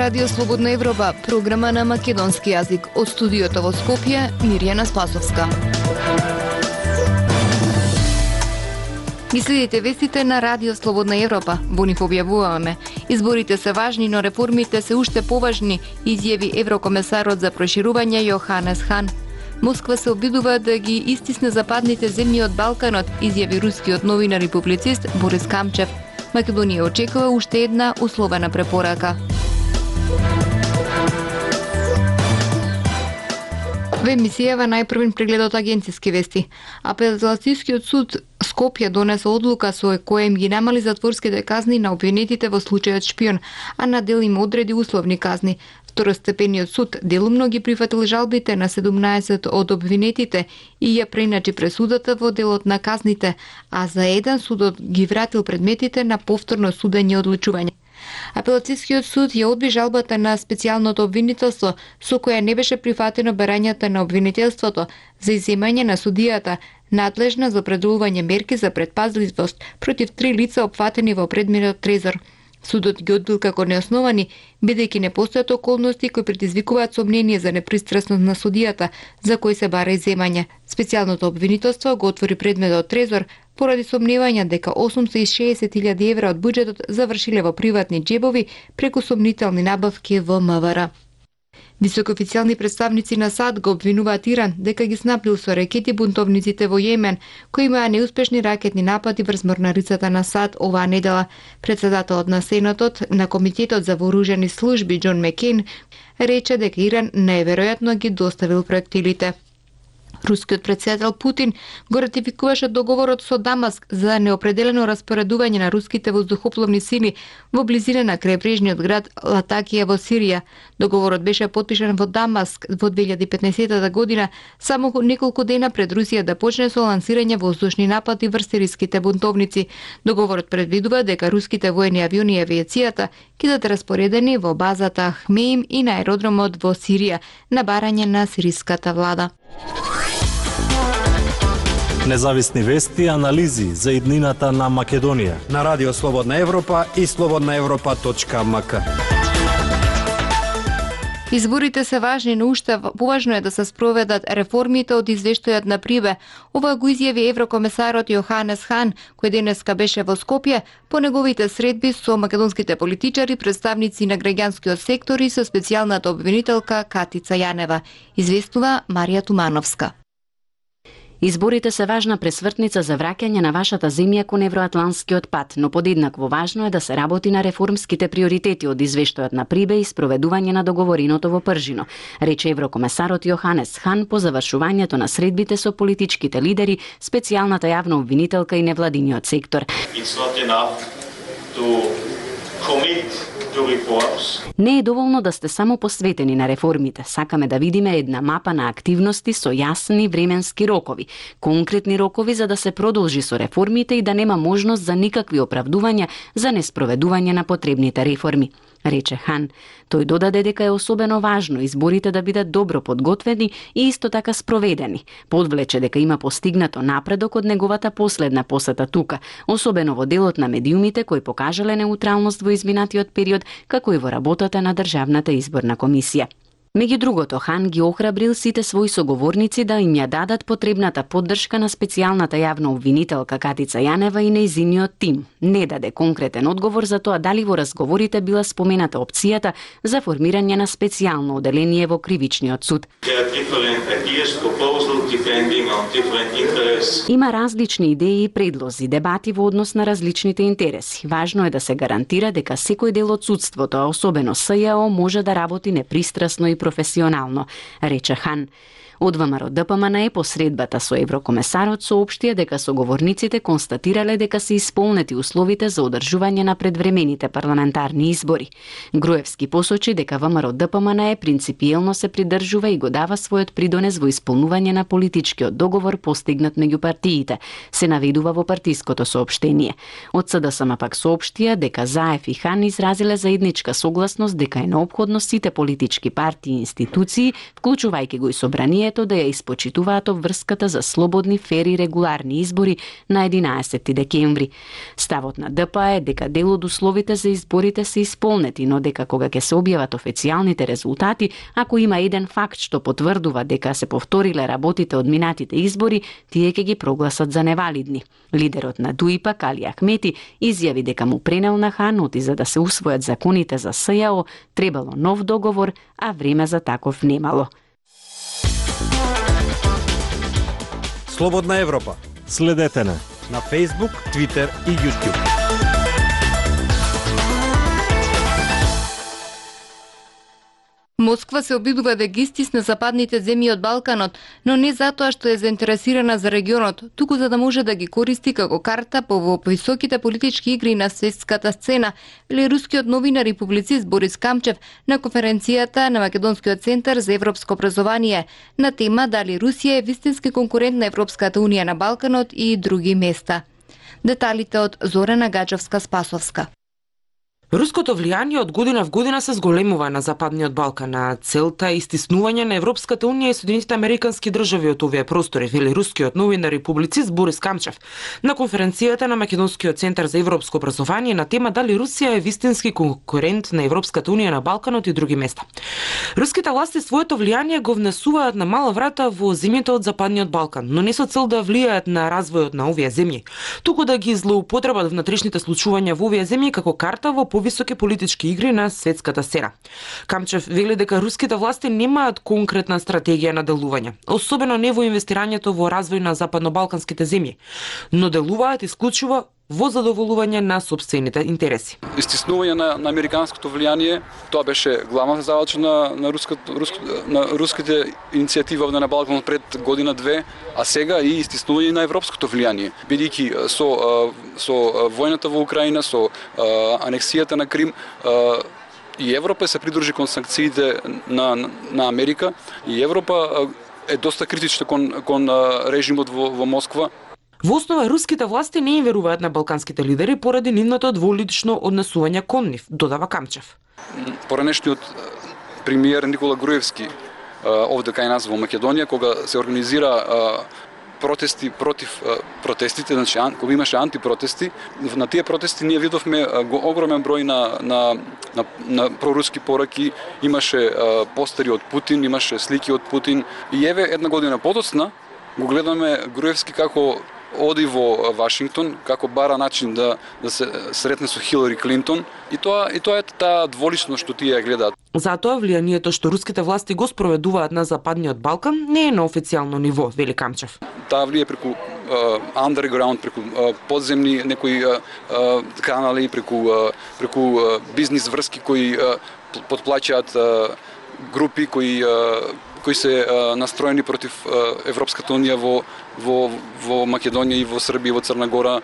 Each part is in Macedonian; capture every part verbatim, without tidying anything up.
Радио Слободна Европа, програма на македонски јазик. Од студиото во Скопје, Мирјана Спасовска. Ги следите вестите на Радио Слободна Европа. Во нив објавуваме: изборите се важни, но реформите се уште поважни, изјави еврокомесарот за проширување Јоханес Хан. Москва се обидува да ги истисне западните земји од Балканот, изјави рускиот новинар и публицист Борис Камчев. Македонија очекува уште една условена препорака. Во емисијава најпрвен преглед од агенциски вести. Апелацискиот суд Скопје донесе одлука со која им ги намали затворските казни на обвинетите во случајот шпион, а на дел им одреди условни казни. Второстепениот суд делумно ги прифатил жалбите на седумнаесет од обвинетите и ја преиначи пресудата во делот на казните, а за еден судот ги вратил предметите на повторно судење и одлучување. Апелацискиот суд ја одби жалбата на специјалното обвинителство, со која не беше прифатено барањата на обвинителството за изземање на судијата, надлежна за определување мерки за предпазливост против три лица опфатени во предметот трезор. Судот ги одбил како неосновани, бидејќи не постојат околности кои предизвикуваат сомнение за непристрасност на судијата, за кој се бара изземање. Специјалното обвинителство го отвори предметот трезор поради сомневања дека осумстотини и шеесет илјади евра од буџетот завршиле во приватни џебови преку сомнителни набавки во МВР. Високоофицијални представници на САД го обвинуваат Иран дека ги снабдил со ракети бунтовниците во Јемен, кои имаа неуспешни ракетни напади врз морнарицата на САД оваа недела. Председателот на Сенатот на Комитетот за вооружени служби Џон Мекейн рече дека Иран најверојатно ги доставил проектилите. Рускиот председател Путин го ратификуваше договорот со Дамаск за неопределено распоредување на руските воздухопловни сили во близина на крајбрежниот град Латакија во Сирија. Договорот беше потпишан во Дамаск во две илјади и петнаесета година, само неколку дена пред Русија да почне со лансирање воздушни напади врз сириските бунтовници. Договорот предвидува дека руските воени авиони и авиацијата ќе бидат распоредени во базата Хмеим и на аеродромот во Сирија на барање на сириската влада. Независни вести и анализи за иднината на Македонија на Радио Слободна Европа и слободна европа точка ем ка. Изборите се важни, но уште поважно е да се спроведат реформите од извештајот на Прибе. Ова го изјави еврокомесарот Јоханес Хан, кој денеска беше во Скопје по неговите средби со македонските политичари, представници на граѓанскиот сектор и со специјалната обвинителка Катица Јанева. Известува Марија Тумановска. Изборите се важна пресвртница за враќање на вашата земја кон евроатланскиот пат, но подеднакво важно е да се работи на реформските приоритети од извештајот на Прибе и спроведување на договореното во Пржино, рече еврокомесарот Јоханес Хан по завршувањето на средбите со политичките лидери, специјалната јавна обвинителка и невладиниот сектор. Не е доволно да сте само посветени на реформите. Сакаме да видиме една мапа на активности со јасни временски рокови, конкретни рокови за да се продолжи со реформите и да нема можност за никакви оправдувања за неспроведување на потребните реформи, рече Хан. Тој додаде дека е особено важно изборите да бидат добро подготвени и исто така спроведени. Подвлече дека има постигнато напредок од неговата последна посета тука, особено во делот на медиумите кои покажале неутралност во изминатиот период, како и во работата на Државната изборна комисија. Меѓу другото, Хан ги охрабрил сите своји соговорници да им ја дадат потребната поддршка на специјалната јавна обвинителка Катица Јанева и нејзиниот тим. Не даде конкретен одговор за тоа дали во разговорите била спомената опцијата за формирање на специјално оделение во кривичниот суд. Има различни идеи и предлози, дебати во однос на различните интереси. Важно е да се гарантира дека секој дел од судството, а особено С Ј О, може да работи непристрасно и професионално, рече Хан. Од ВМРО Д П М Н Е по средбата со еврокомесарот соопштија дека соговорниците констатирале дека се исполнети условите за одржување на предвремените парламентарни избори. Груевски посочи дека ВМРО Д П М Н Е принципиелно се придржува и го дава својот придонес во исполнување на политичкиот договор постигнат меѓу партиите, се наведува во партиското соопштение. Од С Д С М пак соопштија дека Заев и Хан изразиле заедничка согласност дека е неопходно сите политички партии тие институции, вклучувајќи го и собранието, да ја испочитуваат обврската за слободни, фери и регуларни избори на единаесетти декември. Ставот на Д П А е дека дел од условите за изборите се исполнети, но дека кога ќе се објават официјалните резултати, ако има еден факт што потврдува дека се повториле работите од минатите избори, тие ќе ги прогласат за невалидни. Лидерот на Д У И П, Али Ахмети, изјави дека му пренел на Ханути за да се усвојат законите за С Ј О, требало нов договор, а време за таков немало. Слободна Европа. Следете на на Facebook, Twitter и YouTube. Москва се обидува да ги стисне западните земји од Балканот, но не затоа што е заинтересирана за регионот, туку за да може да ги користи како карта по во високите политички игри на светската сцена, вели рускиот новинар и публицист Борис Камчев на конференцијата на Македонскиот центар за европско образование на тема дали Русија е вистински конкурент на Европската унија на Балканот и други места. Деталите од Зорана Гаджевска-Спасовска. Руското влијание од година в година се зголемува на Западниот Балкан, а целта е истиснување на Европската унија и Соединетите американски држави од овие простори, вели рускиот новинар и публицист Борис Камчев на конференцијата на Македонскиот центар за европско образование на тема дали Русија е вистински конкурент на Европската унија на Балканот и други места. Руските власти своето влијание го внесуваат на мала врата во земјите од Западниот Балкан, но не со цел да влијаат на развојот на овие земји, туку да ги злоупотребат внатрешните случувања во овие земји како карта во повисоки политички игри на светската сцена. Камчев вели дека руските власти немаат конкретна стратегија на делување, особено не во инвестирањето во развој на западно-балканските земји, но делуваат исклучиво во задоволување на сопствените интереси. Истиснување на, на американското влијание, тоа беше главната задача на, на, руското, руско, на руските иницијативи овде на Балканот пред година две, а сега и истиснување на европското влијание. Бидејќи со, со војната во Украина, со анексијата на Крим, и Европа се придружи кон санкциите на, на, на Америка, и Европа е доста критична кон, кон режимот во, во Москва. Во основа, руските власти не им веруваат на балканските лидери поради нивното дволично однесување кон нив, додава Камчев. Поранешниот премиер Никола Груевски овде кај нас во Македонија, кога се организира протести против протестите, значи кога имаше антипротести, на тие протести ние видовме огромен број на на на, на проруски пораки, имаше постери од Путин, имаше слики од Путин, и еве една година подоцна го гледаме Груевски како оди во Вашингтон, како бара начин да да се сретне со Хилари Клинтон, и тоа и тоа е таа дволичност што тие гледаат. Затоа влијанието што руските власти го спроведуваат на Западниот Балкан не е на официјално ниво, вели Камчев. Таа влие преку uh, underground, преку uh, подземни некои uh, uh, канали, преку uh, преку uh, бизнис врски кои uh, потплаќаат uh, групи кои uh, кои се uh, настроени против uh, Европската унија во во во Македонија и во Србија и во Црна Гора.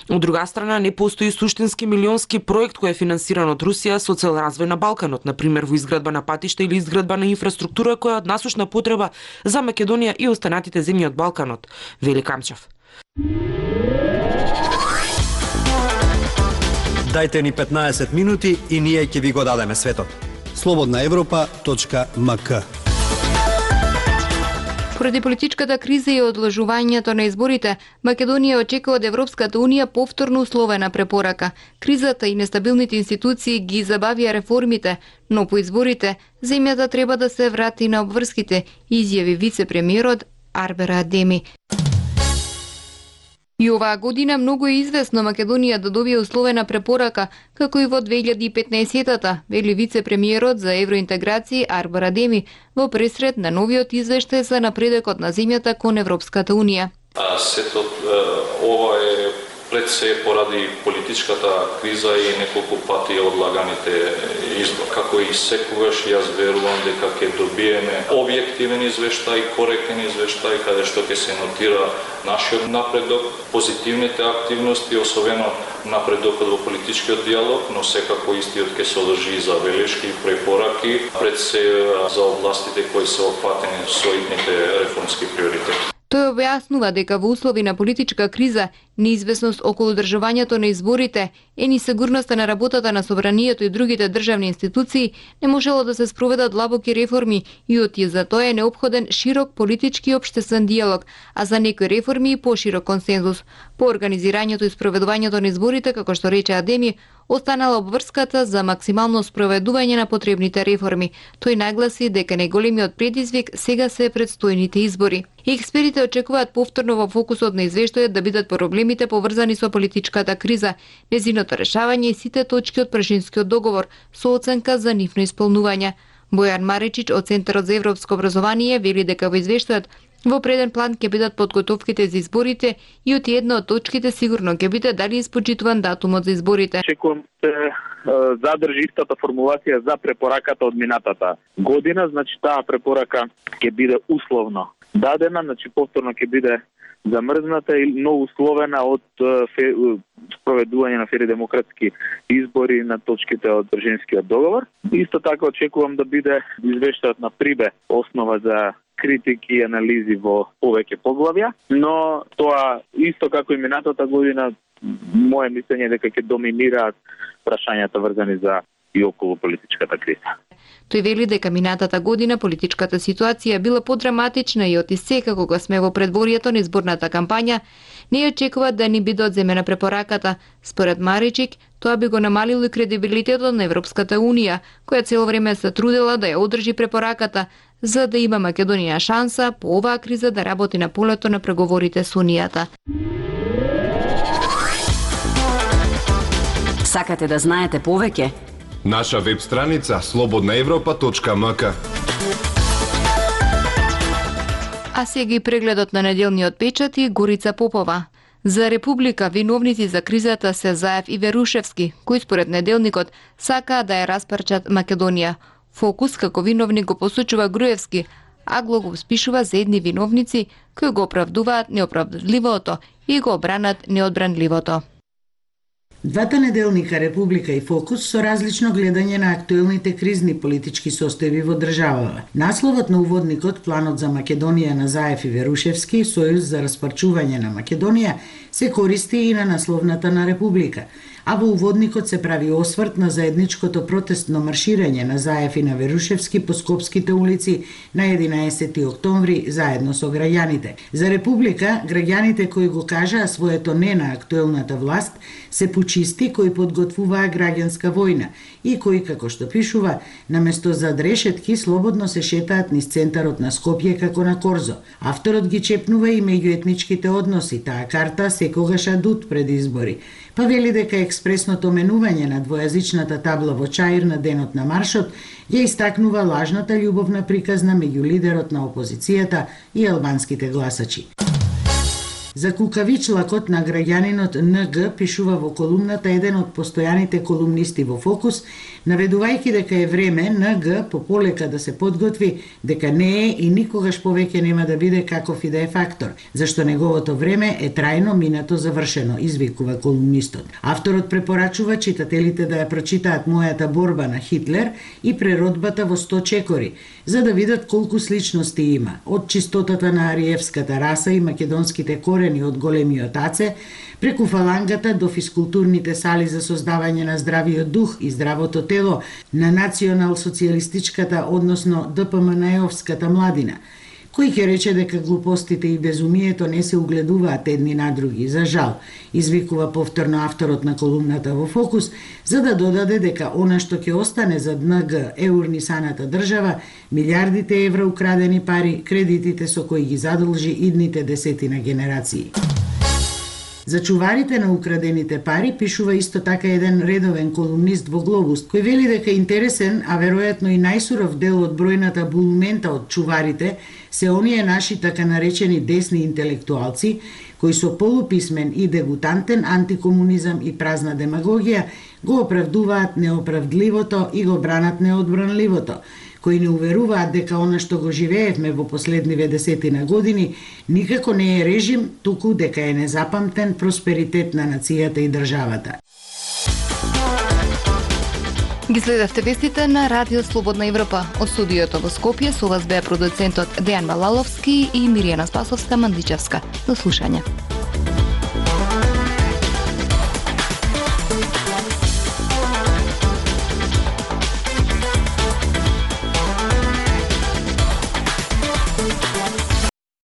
Од друга страна, не постои суштински милионски проект кој е финансиран од Русија со цел развој на Балканот, например во изградба на патишта или изградба на инфраструктура која е од насушна потреба за Македонија и останатите земји од Балканот, вели Камчев. Дајте ни петнаесет минути и ние ќе ви го дадеме светот. слободна европа точка ем ка. Поради политичката криза и одложувањето на изборите, Македонија очекува од Европската унија повторно условена препорака. Кризата и нестабилните институции ги забавија реформите, но по изборите земјата треба да се врати на обврските, изјави вице-премиерот Арбера Адеми. И оваа година многу е известно Македонија да добие условена препорака, како и во две илјади и петнаесетта, вели вице-премиерот за евроинтеграција Арбер Адеми во пресред на новиот извештај за напредокот на земјата кон Европската унија. А сето ова е пред се поради политичката криза и неколку пати одлаганите избори. Како и секогаш, јас верувам дека ќе добиеме објективен извештај, коректен извештај, каде што ќе се нотира нашиот напредок, позитивните активности, особено напредокот во политичкиот диалог, но секако истиот ќе содржи и забелешки и препораки, пред се за областите кои се опфатени со итните реформски приоритети. Тој објаснува дека во услови на политичка криза, неизвестност околу одржувањето на изборите и несигурноста на работата на собранието и другите државни институции, не можело да се спроведат длабоки реформи и оти за тоа е неопходен широк политички и општествен диалог, а за некои реформи и поширок консензус. По организирањето и спроведувањето на изборите, како што рече Адеми, останала обврската за максимално спроведување на потребните реформи. Тој нагласи дека најголемиот предизвик сега се предстојните избори. И експертите очекуваат повторно во фокусот на извештајот да бидат проблемите поврзани со политичката криза, незиното решавање и сите точки од Прашинскиот договор со оценка за нивно исполнување. Бојан Маричич од Центарот за европско образование вели дека во извештајот во преден план ќе бидат подготовките за изборите и од една од точките сигурно ќе биде дали испочитуван датумот за изборите. Очекувам се задржи истата формулација за препораката од минатата година, значи таа препорака ќе биде условно дадена, значи повторно ќе биде замрзната и но условена од спроведување на фери демократски избори на точките од Брежинскиот договор. Исто така очекувам да биде извештајот на Прибе основа за критики и анализи во повеќе поглавја, но тоа исто како и минатата година, моје мислење е дека ќе доминираат прашањата врзани за и околу политичката криза. Тој вели дека минатата година политичката ситуација била подраматична и оти сега кога сме во предворието на изборната кампања, не очекуваат да ни биде одземена препораката. Според Маричик, тоа би го намалило и кредибилитетот на Европската унија, која цело време се трудела да ја одржи препораката, за да има Македонија шанса по оваа криза да работи на полето на преговорите со Унијата. Сакате да знаете повеќе? Наша веб страница слободна европа точка ем ка. А сега и прегледот на неделниот печат и Горица Попова. За Република виновници за кризата се Заев и Верушевски, кои според неделникот сакаа да ја распарчат Македонија. Фокус како виновник го посочува Груевски, а Глогов спишува за едни виновници кои го оправдуваат неоправдливото и го обранат неодбранливото. Двата неделника Република и Фокус со различно гледање на актуелните кризни политички состојби во државава. Насловот на уводникот Планот за Македонија на Заев и Верушевски, Сојуз за распарчување на Македонија, се користи и на насловната на Република, а во уводникот се прави осврт на заедничкото протестно марширање на Заев и на Верушевски по скопските улици на единаесети октомври заедно со граѓаните. За Република, граѓаните кои го кажаа своето не на актуелната власт се пучисти кои подготвуваа граѓанска војна и кои, како што пишува, наместо зад решетки слободно се шетаат низ центарот на Скопје како на корзо. Авторот ги чепнува и меѓуетничките односи, таа карта секогаш адут пред избори. Па вели дека експресното менување на двојазичната табла во Чаир на денот на маршот ја истакнува лажната љубовна приказна меѓу лидерот на опозицијата и албанските гласачи. За кукавичлакот на граѓанинот Н Г пишува во колумната еден од постојаните колумнисти во Фокус, наведувајќи дека е време Н Г пополека да се подготви, дека не е и никогаш повеќе нема да биде каков и да е фактор, зашто неговото време е трајно минато завршено, извикува колумнистот. Авторот препорачува читателите да ја прочитаат Мојата борба на Хитлер и Преродбата во сто чекори, за да видат колку сличности има, од чистотата на ариевската раса и македонските корени од големиот аце, преку фалангата до физкултурните сали за создавање на здравиот дух и здравото тело на национал-социјалистичката, односно Д П М Н Е-овската младина, кој ќе рече дека глупостите и безумието не се угледуваат едни на други. За жал, извикува повторно авторот на колумната во Фокус, за да додаде дека она што ќе остане за Н Г е урнисаната држава, милиардите евра украдени пари, кредитите со кои ги задолжи идните десетина генерации. За чуварите на украдените пари пишува исто така еден редовен колумнист во Глобус, кој вели дека интересен, а веројатно и најсуров дел од бројната булумента од чуварите се оние наши така наречени десни интелектуалци, кои со полуписмен и дегутантен антикомунизам и празна демагогија го оправдуваат неоправдливото и го бранат неодбранливото, кои не уверуваат дека она што го живеевме во последниве десетина години никако не е режим, туку дека е незапамтен просперитет на нацијата и државата. Ги следевте вестите на Радио Слободна Европа. Од студиото во Скопје со вас беа продуцентот Дејан Балаловски и Миријана Спасовска Мандичевска. До слушање.